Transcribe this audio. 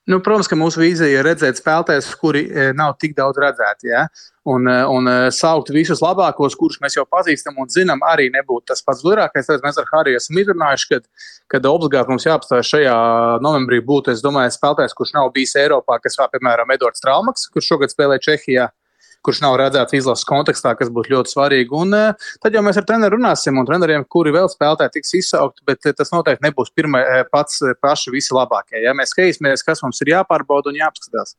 Nu, protams, ka mūsu vīzija ir redzēt spēlētājus, kuri nav tik daudz redzēti. Ja? Un saukt visus labākos, kurus mēs jau pazīstam un zinām, arī nebūtu tas pats gudrākais. Tāpēc mēs ar Hariju esam izrunājuši, kad obligāti mums jāapstājas šajā novembrī būtu, es domāju, spēlētājs, kurš nav bijis Eiropā, kas vēl, piemēram, Edvards Traumaks, kurš šogad spēlē Čehijā, kurš nav redzēts izlases kontekstā, kas būtu ļoti svarīgi. Un tad jau mēs ar treneru runāsim, un treneriem, kuri vēl spēlētāji tiks izsaukti, bet tas noteikti nebūs paši visi labākie. Ja? Mēs skatīsimies, kas mums ir jāpārbauda un jāapskatās.